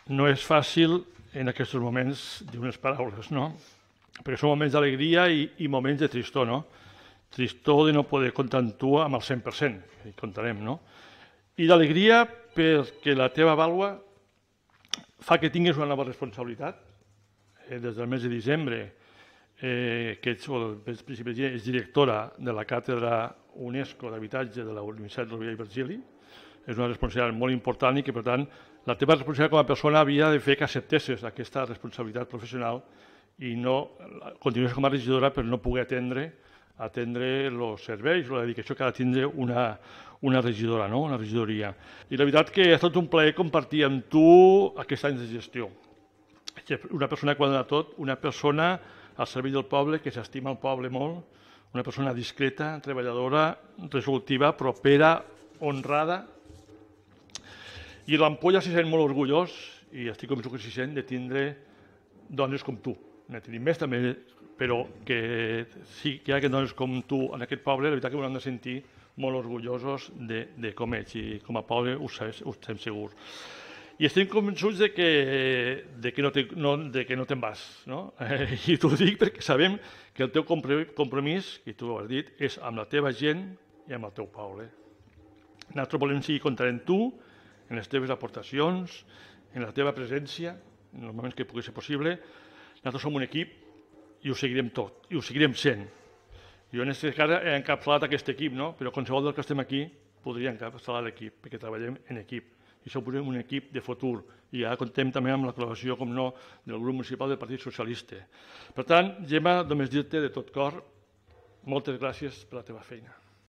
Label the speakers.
Speaker 1: no és fàcil en aquests moments dir unes paraules, no? Perquè són moments d'alegria i moments de tristor, no? Tristor de no poder comptar amb tu amb el 100%, hi comptarem, no? I d'alegria perquè la teva vàlua fa que tinguis una nova responsabilitat. Des del mes de desembre, que ets directora de la càtedra UNESCO d'habitatge de la Universitat Rovira i Virgili. És una responsabilitat molt important i que, per tant, la teva responsabilitat com a persona havia de fer que acceptessis aquesta responsabilitat professional i no continues com a regidora per no poder atendre els serveis o la dedicació que ha de tindre una regidora, no? Una regidoria. I la veritat que ha estat un plaer compartir amb tu aquests anys de gestió. Una persona que ho ha donat tot, una persona al servei del poble, que s'estima el poble molt, una persona discreta, treballadora, resolutiva, propera, honrada. I l'Ampolla s'hi sent molt orgullós, i estic convençut que s'hi sent, de tindre dones com tu. N'he tingut més també, però que sí que hi ha dones com tu en aquest poble, la veritat que m'ho hem de sentir molt orgullosos de com ets, i com a poble ho estem segurs. I estem convençuts de que no te'n vas, no? I t'ho dic perquè sabem que el teu compromís, i tu ho has dit, és amb la teva gent i amb el teu poble. Nosaltres volem seguir comptant amb tu, en les teves aportacions, en la teva presència, en els moments que pugui ser possible. Nosaltres som un equip i ho seguirem tot, i ho seguirem sent. Jo en aquest cas he encapçalat aquest equip, no? Però qualsevol dels que estem aquí podria encapçalar l'equip, perquè treballem en equip. I som un equip de futur. I ara comptem també amb la col·laboració, com no, del grup municipal del Partit Socialista. Per tant, Gemma, només dir-te de tot cor moltes gràcies per la teva feina.